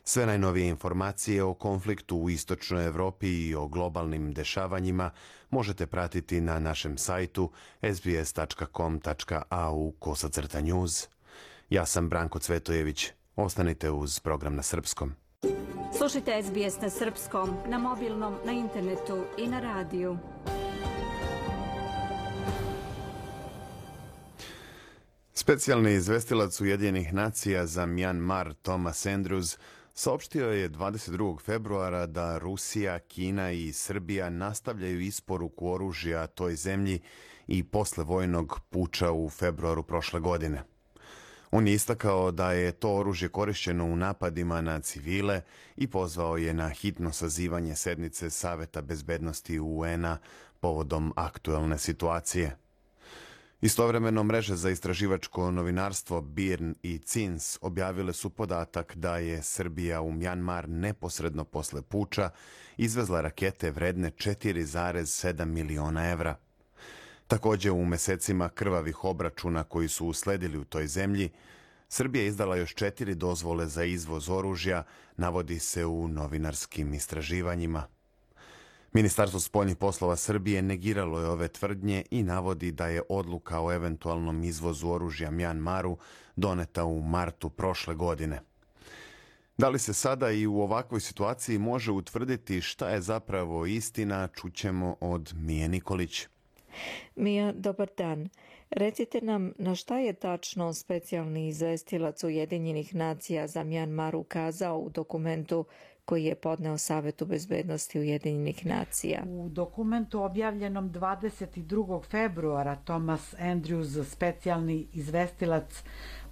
Sve najnovije informacije o konfliktu u istočnoj Evropi i o globalnim dešavanjima možete pratiti na našem sajtu s b s tačka com tačka a u kosacrta news. Ja sam Branko Cvetojević. Ostanite uz program na srpskom. Slušajte S B S na srpskom, na mobilnom, na internetu i na radiju. Specijalni izvestilac Ujedinjenih nacija za Mjanmar Thomas Andrews saopštio je dvadeset drugog februara da Rusija, Kina i Srbija nastavljaju isporuku oružja toj zemlji i posle vojnog puča u februaru prošle godine. On je istakao da je to oružje korišćeno u napadima na civile i pozvao je na hitno sazivanje sednice Saveta bezbednosti U N-a povodom aktuelne situacije. Istovremeno, mreže za istraživačko novinarstvo B I R N i C I N S objavile su podatak da je Srbija u Mjanmar neposredno posle puča izvezla rakete vredne četiri zarez sedam miliona evra. Također, u mesecima krvavih obračuna koji su usledili u toj zemlji, Srbija je izdala još četiri dozvole za izvoz oružja, navodi se u novinarskim istraživanjima. Ministarstvo spoljnih poslova Srbije negiralo je ove tvrdnje i navodi da je odluka o eventualnom izvozu oružja Mjanmaru doneta u martu prošle godine. Da li se sada i u ovakvoj situaciji može utvrditi šta je zapravo istina, čućemo od Mije Nikolić. Mija, dobar dan. Recite nam na šta je tačno specijalni izvestilac Ujedinjenih nacija za Mjanmar ukazao u dokumentu koji je podneo Savetu bezbednosti Ujedinjenih nacija. U dokumentu objavljenom dvadeset drugog februara Thomas Andrews, specijalni izvestilac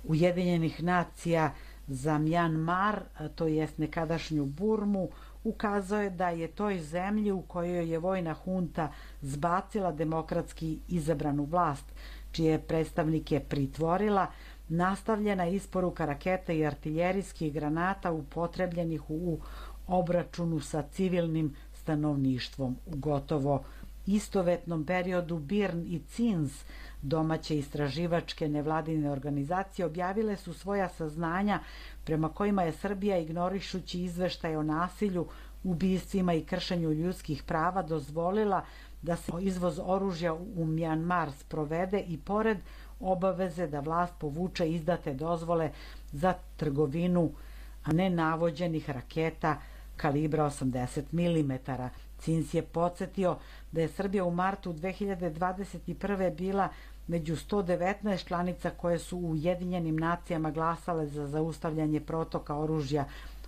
Ujedinjenih nacija za Mjanmar, to jest nekadašnju Burmu, ukazao je da je toj zemlji u kojoj je vojna hunta zbacila demokratski izabranu vlast, čije predstavnike pritvorila, nastavljena isporuka raketa i artiljerijskih granata upotrebljenih u obračunu sa civilnim stanovništvom. U gotovo istovetnom periodu B I R N i C I N S, domaće istraživačke nevladine organizacije, objavile su svoja saznanja prema kojima je Srbija, ignorišući izveštaje o nasilju, ubistvima i kršenju ljudskih prava, dozvolila da se izvoz oružja u Mjanmar sprovede i pored obaveze da vlast povuče izdate dozvole za trgovinu nenavođenih raketa kalibra osamdeset milimetara. C I N S je podsjetio da je Srbija u martu dve hiljade dvadeset prve bila među sto devetnaest članica koje su u Ujedinjenim nacijama glasale za zaustavljanje protoka oružja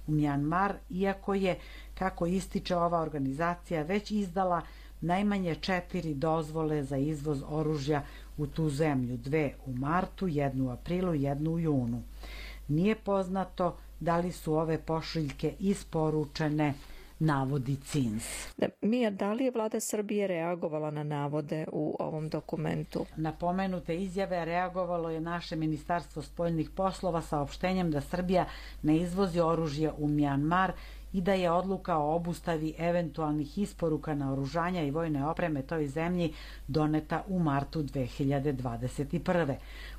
u Mjanmar, iako je, kako ističe ova organizacija, već izdala najmanje četiri dozvole za izvoz oružja u tu zemlju, dve u martu, jednu u aprilu, jednu u junu. Nije poznato da li su ove pošiljke isporučene, navodi C I N S. Da, Mija, da li je vlada Srbije reagovala na navode u ovom dokumentu? Na pomenute izjave reagovalo je naše Ministarstvo spoljnih poslova saopštenjem da Srbija ne izvozi oružje u Mjanmar i da je odluka o obustavi eventualnih isporuka naoružanja i vojne opreme toj zemlji doneta u martu dve hiljade dvadeset prve.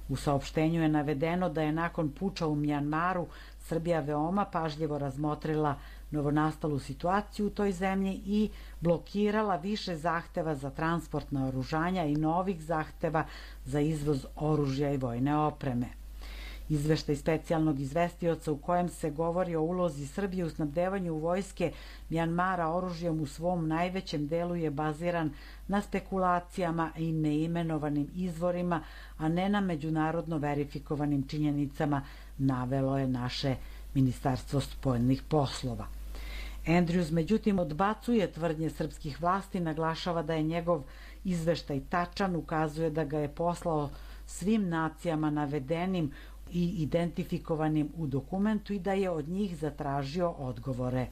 U saopštenju je navedeno da je nakon puča u Mjanmaru Srbija veoma pažljivo razmotrila novonastalu situaciju u toj zemlji i blokirala više zahteva za transport naoružanja i novih zahteva za izvoz oružja i vojne opreme. Izveštaj specijalnog izvestioca u kojem se govori o ulozi Srbije u snabdevanju vojske Mjanmara oružjem u svom najvećem delu je baziran na spekulacijama i neimenovanim izvorima, a ne na međunarodno verifikovanim činjenicama, navelo je naše Ministarstvo spoljnih poslova. Andrews međutim odbacuje tvrdnje srpskih vlasti, naglašava da je njegov izveštaj tačan, ukazuje da ga je poslao svim nacijama navedenim i identifikovanim u dokumentu i da je od njih zatražio odgovore.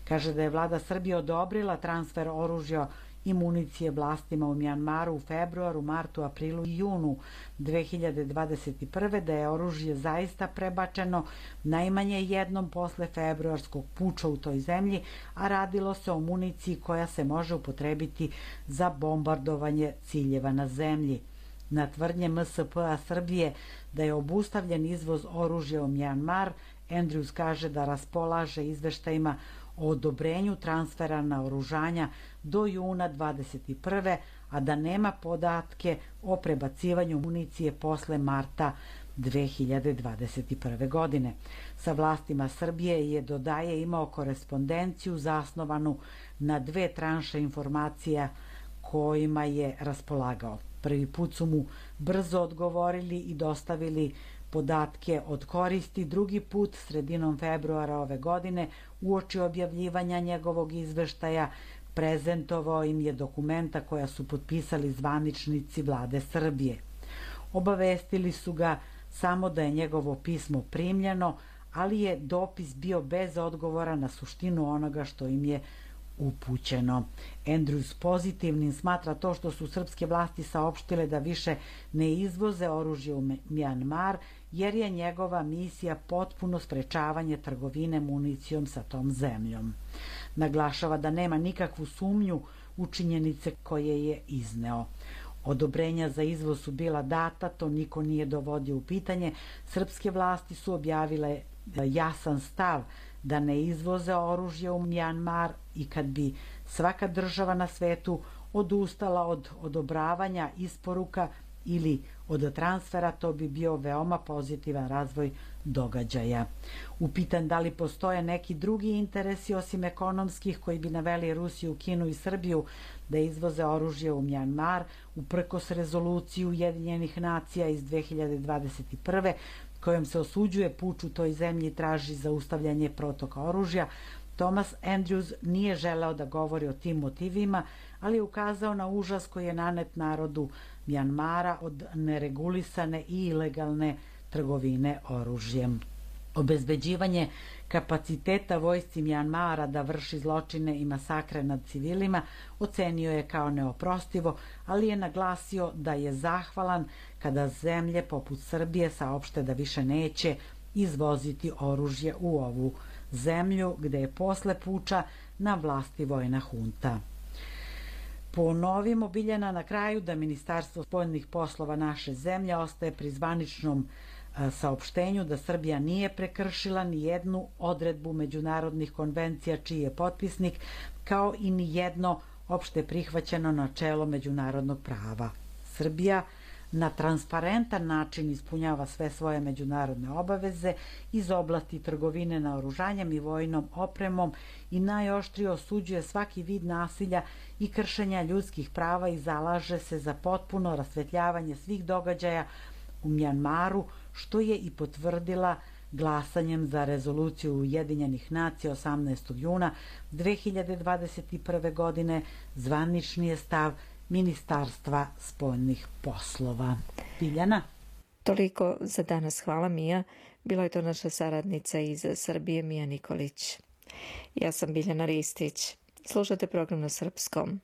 Kaže da je vlada Srbije odobrila transfer oružja i municije vlastima u Mjanmaru u februaru, martu, aprilu i junu dve hiljade dvadeset prve, da je oružje zaista prebačeno najmanje jednom posle februarskog puča u toj zemlji, a radilo se o municiji koja se može upotrebiti za bombardovanje ciljeva na zemlji. Na tvrdnje M S P-a Srbije da je obustavljen izvoz oružja u Mjanmar, Andrews kaže da raspolaže izveštajima o odobrenju transfera naoružanja do juna dvadeset prve, a da nema podatke o prebacivanju municije posle marta dve hiljade dvadeset prve. godine. Sa vlastima Srbije je, dodaje, imao korespondenciju zasnovanu na dve tranše informacija kojima je raspolagao. Prvi put su mu brzo odgovorili i dostavili podatke od koristi, drugi put sredinom februara ove godine uoči objavljivanja njegovog izveštaja prezentovao im je dokumenta koja su potpisali zvaničnici vlade Srbije. Obavestili su ga samo da je njegovo pismo primljeno, ali je dopis bio bez odgovora na suštinu onoga što im je upućeno. Andrews pozitivnim smatra to što su srpske vlasti saopštile da više ne izvoze oružje u Mjanmar, jer je njegova misija potpuno sprečavanje trgovine municijom sa tom zemljom. Naglašava da nema nikakvu sumnju u činjenice koje je izneo. Odobrenja za izvoz su bila data, to niko nije dovodio u pitanje. Srpske vlasti su objavile jasan stav da ne izvoze oružje u Mjanmar i kad bi svaka država na svetu odustala od odobravanja isporuka ili od transfera, to bi bio veoma pozitivan razvoj događaja. Upitan da li postoje neki drugi interesi osim ekonomskih koji bi naveli Rusiju, Kinu i Srbiju da izvoze oružje u Mjanmar, uprkos rezoluciju Ujedinjenih nacija iz dve hiljade dvadeset prve kojom se osuđuje puč u toj zemlji i traži zaustavljanje protoka oružja, Thomas Andrews nije želeo da govori o tim motivima, ali je ukazao na užas koji je nanet narodu Mjanmara od neregulisane i ilegalne trgovine oružjem. Obezbeđivanje kapaciteta vojsci Mjanmara da vrši zločine i masakre nad civilima ocenio je kao neoprostivo, ali je naglasio da je zahvalan kada zemlje poput Srbije saopšte da više neće izvoziti oružje u ovu zemlju gde je posle puča na vlasti vojna hunta. Ponovimo, Biljana, na kraju da Ministarstvo spoljnih poslova naše zemlje ostaje pri zvaničnom saopštenju da Srbija nije prekršila ni jednu odredbu međunarodnih konvencija čiji je potpisnik, kao i ni jedno opšte prihvaćeno načelo međunarodnog prava. Srbija na transparentan način ispunjava sve svoje međunarodne obaveze iz oblasti trgovine naoružanjem i vojnom opremom i najoštrije osuđuje svaki vid nasilja i kršenja ljudskih prava i zalaže se za potpuno rasvetljavanje svih događaja u Mjanmaru, što je i potvrdila glasanjem za rezoluciju Ujedinjenih nacija osamnaestog juna dve hiljade dvadeset prve. godine. Zvanični je stav Ministarstva spoljnih poslova. Biljana? Toliko za danas. Hvala, Mija. Bila je to naša saradnica iz Srbije, Mija Nikolić. Ja sam Biljana Ristić. Slušate program na srpskom.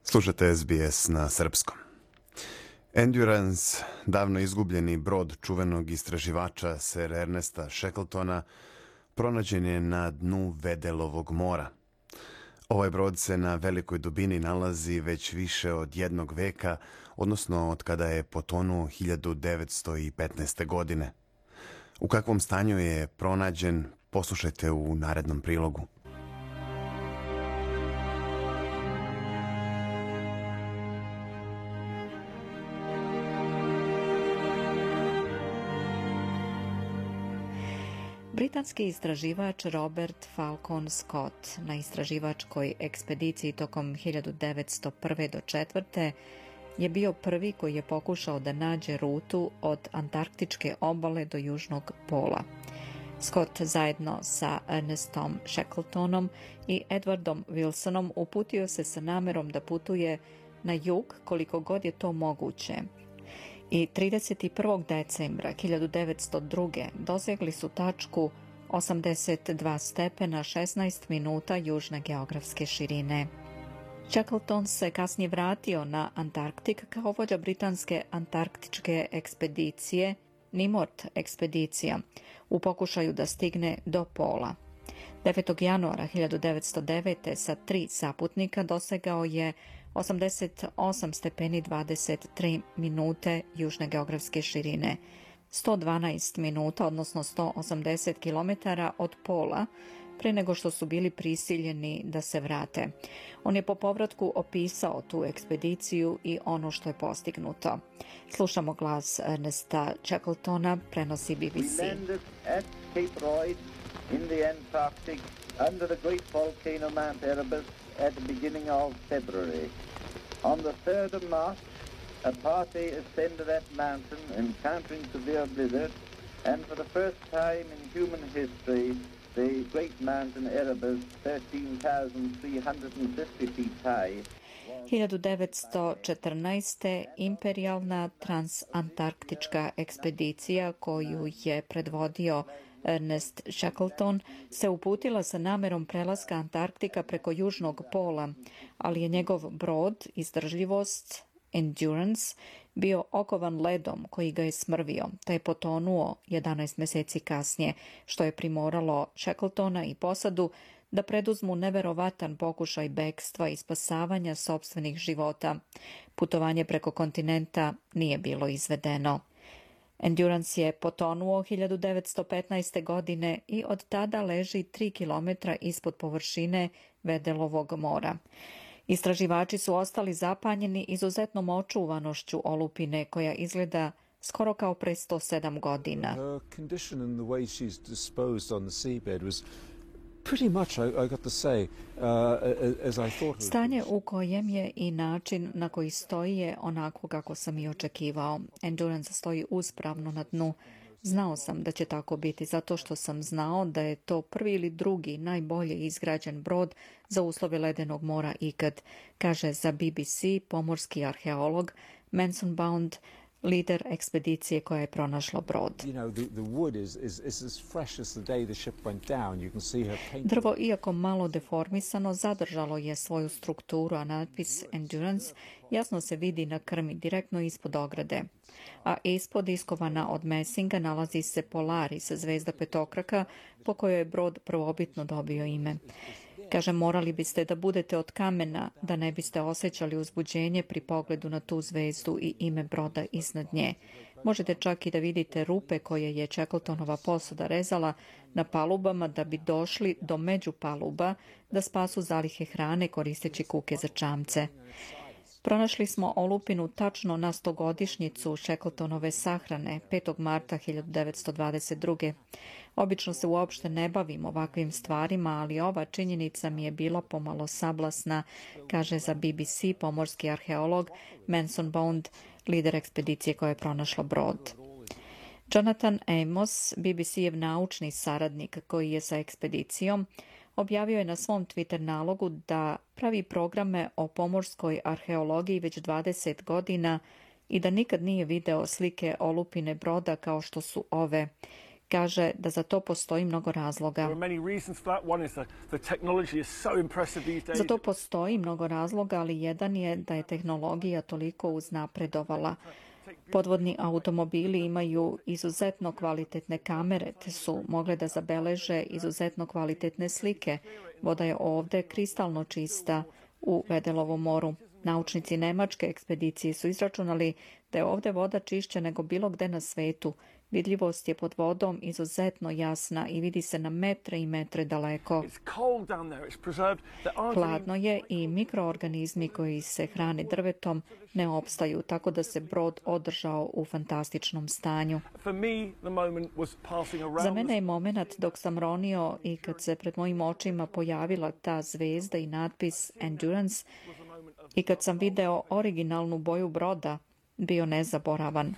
Slušate S B S na srpskom. Endurance, davno izgubljeni brod čuvenog istraživača Sir Ernesta Shackletona, pronađen je na dnu Wedelovog mora. Ovaj brod se na velikoj dubini nalazi već više od jednog veka, odnosno od kada je potonuo hiljadu devetsto petnaeste. godine. U kakvom stanju je pronađen, poslušajte u narednom prilogu. Britanski istraživač Robert Falcon Scott na istraživačkoj ekspediciji tokom hiljadu devetsto prve do četvrte je bio prvi koji je pokušao da nađe rutu od antarktičke obale do južnog pola. Scott zajedno sa Ernestom Shackletonom i Edwardom Wilsonom uputio se sa namerom da putuje na jug koliko god je to moguće. I trideset prvog decembra hiljadu devetsto druge. dosegli su tačku osamdeset dva stepena šesnaest minuta južne geografske širine. Shackleton se kasnije vratio na Antarktik kao vođa britanske antarktičke ekspedicije Nimrod ekspedicija u pokušaju da stigne do pola. devetog januara hiljadu devetsto devete. sa tri saputnika dosegao je osamdeset osam stepeni dvadeset tri minute južne geografske širine, sto dvanaest minuta, odnosno sto osamdeset kilometara od pola, pre nego što su bili prisiljeni da se vrate. On je po povratku opisao tu ekspediciju i ono što je postignuto. Slušamo glas Ernesta Shackletona, prenosi B B C. We landed at Cape Royds in the Antarctic under the great volcano Mount Erebus at the beginning of February. On the third of March, a party ascended that mountain encountering severe blizzard, and for the first time in human history, the great mountain Erebus, thirteen thousand three hundred fifty feet high, hiljadu devetsto četrnaeste. imperijalna transantarktička ekspedicija koju je predvodio Ernest Shackleton se uputila sa namerom prelaska Antarktika preko južnog pola, ali je njegov brod, izdržljivost Endurance, bio okovan ledom koji ga je smrvio, te je potonuo jedanaest meseci kasnije, što je primoralo Shackletona i posadu da preduzmu neverovatan pokušaj bekstva i spasavanja sopstvenih života. Putovanje preko kontinenta nije bilo izvedeno. Endurance je potonuo hiljadu devetsto petnaeste. godine i od tada leži tri kilometra ispod površine Wedelovog mora. Istraživači su ostali zapanjeni izuzetnom očuvanošću olupine koja izgleda skoro kao pre sto sedam godina. Stanje u kojem je i način na koji stoji je onako kako sam i očekivao. Endurance stoji uspravno na dnu. Znao sam da će tako biti zato što sam znao da je to prvi ili drugi najbolje izgrađen brod za uslove ledenog mora ikad, kaže za B B C pomorski arheolog Manson Bound, lider ekspedicije koja je pronašla brod. Drvo, iako malo deformisano, zadržalo je svoju strukturu, a natpis Endurance jasno se vidi na krmi direktno ispod ograde. A ispod, iskovana od mesinga, nalazi se Polaris, zvezda petokraka, po kojoj je brod prvobitno dobio ime. Kaže, morali biste da budete od kamena, da ne biste osjećali uzbuđenje pri pogledu na tu zvezdu i ime broda iznad nje. Možete čak i da vidite rupe koje je Shackletonova posada rezala na palubama da bi došli do međupaluba da spasu zalihe hrane koristeći kuke za čamce. Pronašli smo olupinu tačno na stogodišnjicu Shackletonove sahrane, petog marta hiljadu devetsto dvadeset druge. Obično se uopšte ne bavim ovakvim stvarima, ali ova činjenica mi je bila pomalo sablasna, kaže za B B C pomorski arheolog Manson Bond, lider ekspedicije koja je pronašla brod. Jonathan Amos, B B C-ev naučni saradnik koji je sa ekspedicijom, objavio je na svom Twitter nalogu da pravi programe o pomorskoj arheologiji već dvadeset godina i da nikad nije video slike olupine broda kao što su ove. Kaže da za to postoji mnogo razloga. Za to postoji mnogo razloga, ali jedan je da je tehnologija toliko uznapredovala. Podvodni automobili imaju izuzetno kvalitetne kamere, te su mogle da zabeleže izuzetno kvalitetne slike. Voda je ovde kristalno čista u Vedelovom moru. Naučnici nemačke ekspedicije su izračunali da je ovde voda čišća nego bilo gde na svetu. Vidljivost je pod vodom izuzetno jasna i vidi se na metre i metre daleko. Hladno je i mikroorganizmi koji se hrane drvetom ne opstaju, tako da se brod održao u fantastičnom stanju. Za mene je moment dok sam ronio i kad se pred mojim očima pojavila ta zvezda i natpis Endurance i kad sam video originalnu boju broda, bio nezaboravan.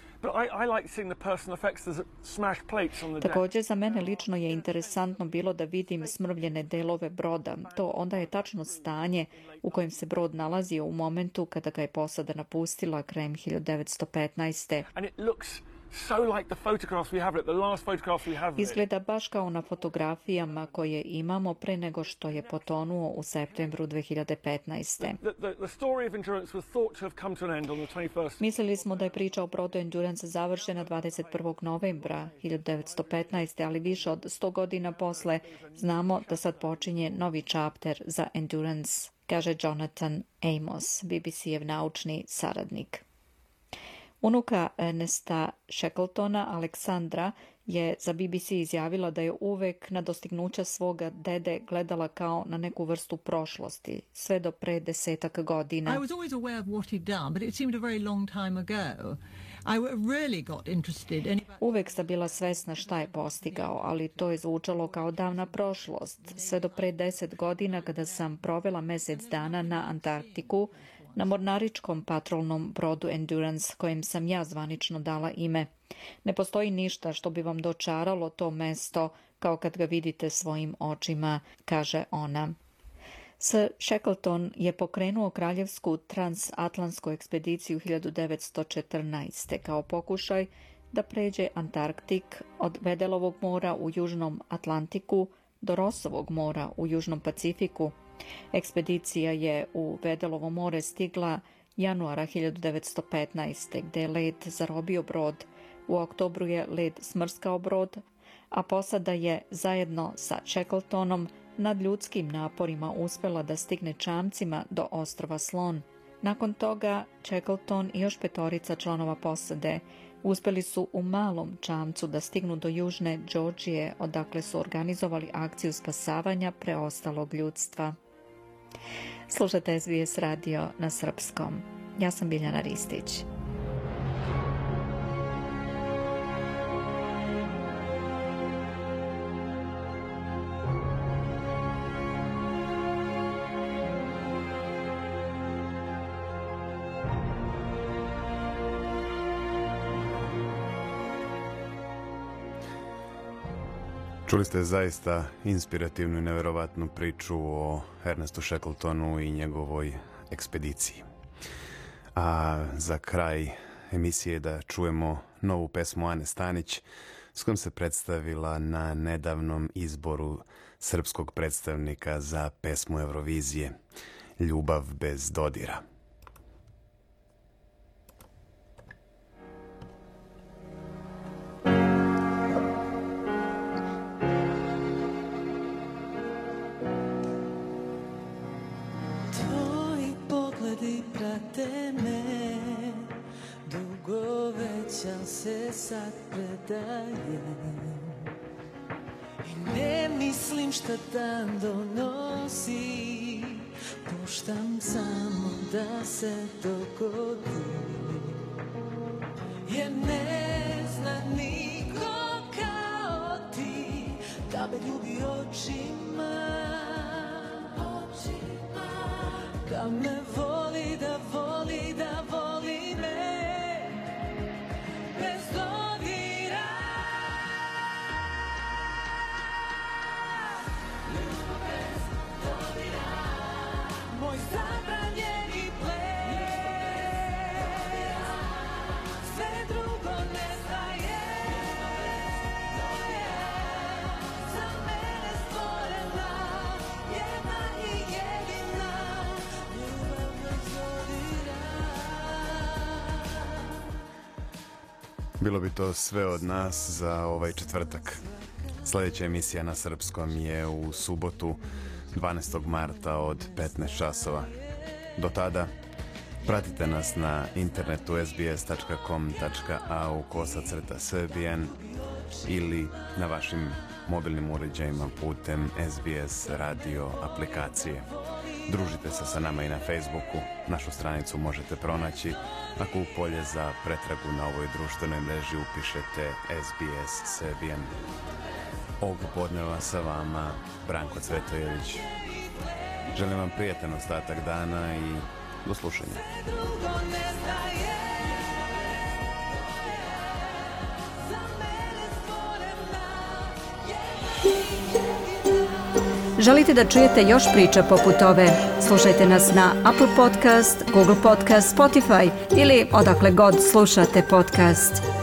Također za mene lično je interesantno bilo da vidim smrvljene delove broda. To onda je tačno stanje u kojem se brod nalazio u momentu kada ga je posada napustila krajem hiljadu devetsto petnaeste. Izgleda baš kao na fotografijama koje imamo pre nego što je potonuo u septembru dve hiljade petnaeste. Mislili smo da je priča o brodu Endurance završena dvadeset prvog novembra hiljadu devetsto petnaeste, ali više od sto godina posle znamo da sad počinje novi čapter za Endurance, kaže Jonathan Amos, B B C-ev naučni saradnik. Unuka Ernesta Shackletona, Aleksandra, je za B B C izjavila da je uvek na dostignuća svoga dede gledala kao na neku vrstu prošlosti, sve do pre desetak godina. I was always aware of what he'd done, but it seemed a very long time ago. I really got interested. And... Uvek sam bila svesna šta je postigao, ali to je zvučalo kao davna prošlost, sve do pre deset godina kada sam provela mesec dana na Antarktiku, na mornaričkom patrolnom brodu Endurance, kojem sam ja zvanično dala ime. Ne postoji ništa što bi vam dočaralo to mesto kao kad ga vidite svojim očima, kaže ona. Sir Shackleton je pokrenuo kraljevsku transatlantsku ekspediciju hiljadu devetsto četrnaeste. kao pokušaj da pređe Antarktik od Vedelovog mora u Južnom Atlantiku do Rossovog mora u Južnom Pacifiku. Ekspedicija je u Vedelovo more stigla januara hiljadu devetsto petnaeste. gde je led zarobio brod. U oktobru je led smrskao brod, a posada je zajedno sa Shackletonom nad ljudskim naporima uspela da stigne čamcima do ostrva Slon. Nakon toga Shackleton i još petorica članova posade uspeli su u malom čamcu da stignu do južne Džordžije, odakle su organizovali akciju spasavanja preostalog ljudstva. Slušate S B S radio na srpskom. Ja sam Biljana Ristić. Čuli ste zaista inspirativnu i neverovatnu priču o Ernestu Shackletonu i njegovoj ekspediciji. A za kraj emisije da čujemo novu pesmu Ane Stanić, s kojom se predstavila na nedavnom izboru srpskog predstavnika za pesmu Eurovizije, Ljubav bez dodira. Prate me, dugo već ja se sad predajem i ne mislim šta dan donosi, puštam samo da se dogodi, jer ne zna niko kao ti da me ljubi očima, očima, da me voli, da voli, da voli me bez dodira. Ljubav bez dodira, moj zabranjeni ples, sve drugo nestaje. Bilo bi to sve od nas za ovaj četvrtak. Sljedeća emisija na srpskom je u subotu dvanaestog marta od petnaest časova. Do tada pratite nas na internetu es be es tačka com tačka a u kosacrta srbijan ili na vašim mobilnim uređajima putem es be es radio aplikacije. Družite se sa nama i na Facebooku. Našu stranicu možete pronaći ako u polje za pretragu na ovoj društvenoj mreži upišete es be es Serbian. Ovog podneva sa vama Branko Cvetojević. Želim vam prijatan ostatak dana i do slušanja. Želite da čujete još priča poput ove? Slušajte nas na Apple Podcast, Google Podcast, Spotify ili odakle god slušate podcast.